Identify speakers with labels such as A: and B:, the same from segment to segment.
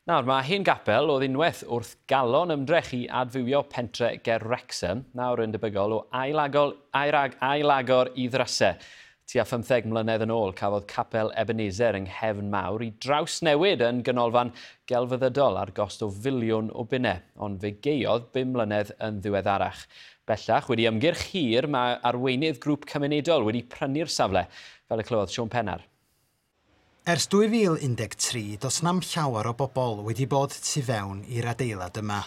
A: Nawr, mae hen gapel oedd unwaith wrth galon ymdrech i adfywio pentre ger Wrexham, nawr yn debygol o ailagor, airag, ailagor i ddrysau. Tua 15 mlynedd yn ôl cafodd capel Ebenezer yng Nghefn Mawr i drawsnewid yn ganolfan gelfyddydol ar gost o filiwn o bunnau, ond fe gaeodd 5 mlynedd yn ddiweddarach. Bellach, wedi ymgyrch hir, mae arweinydd grŵp cymunedol wedi prynu'r safle, fel y clywodd Siôn Pennar.
B: Ers 2013, does na'm llawer o bobl wedi bod tu fewn i'r adeilad yma.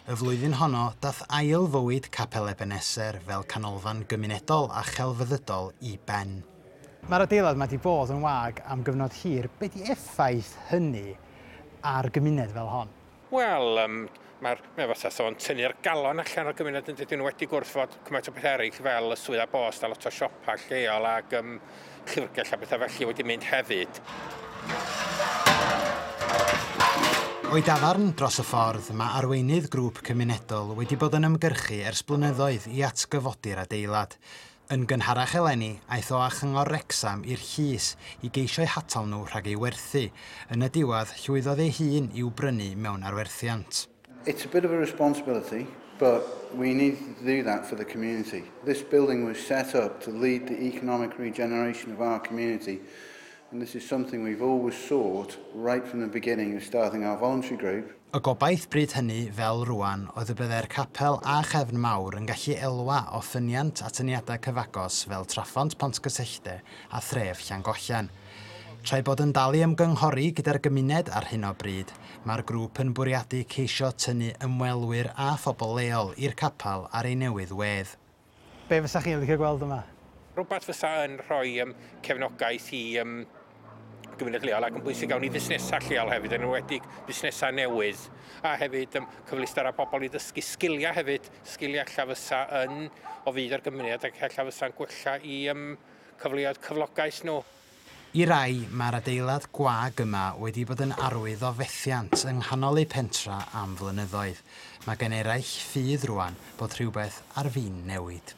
B: Y flwyddyn honno, dath ail fywyd Capel Ebenezer fel canolfan gymunedol a chelfyddydol i ben. Mae'r adeilad yma wedi bod yn wag am gyfnod hir. Be di effaith hynny ar gymuned fel hon?
C: Wel, mae fatha sôn tynnu'r galon allan o'r gymuned yn dydyn nhw wedi gwrthod cymaint o bethau eraill fel y swyddfa bost a lot o siopa lleol ac llyfrgell a bethau felly wedi mynd hefyd.
B: O'i dafarn dros y ffordd, mae arweinydd grŵp cymunedol wedi bod yn ymgyrchu ers blynyddoedd i atgyfodi'r adeilad. Yn gynharach eleni, aeth o â Chyngor Wrecsam i'r llys i geisio'u hatal nhw rhag ei werthu. Yn y diwedd, llwyddodd ei hun i'w brynu mewn arwerthiant.
D: It's a bit of a responsibility, but we need to do that for the community. This building was set up to lead the economic regeneration of our community, and this is something we've always sought right from the beginning of starting our voluntary group.
B: Y gobaith bryd hynny, fel rwan, oedd y byddai'r capel a Chefn Mawr yn gallu elwa o ffyniant atyniadau cyfagos fel Traphont Pontcysyllte a thref Llangollen. Tra'i bod yn dal i ymgynghori gyda'r gymuned ar hyn o bryd, mae'r grŵp yn bwriadu ceisio tynnu ymwelwyr a phobl leol i'r capel ar ei newydd wedd. Be fysa chi'n licio gweld yma?
C: Rhywbeth fysa yn rhoi cefnogaeth i gymuned leol ac yn bwysig iawn i fusnesau lleol hefyd, yn enwedig busnesau newydd, a hefyd cyfleusterau pobl i ddysgu sgiliau hefyd, sgiliau ella fysa yn o fudd i'r gymuned ac ella fysa'n gwella i cyfleoedd cyflogaeth nhw.
B: I rai, mae'r adeilad gwag yma wedi bod yn arwydd o fethiant yng nghanol eu pentra am flynyddoedd. Mae gen eraill ffydd rwan bod rhywbeth ar fin newid.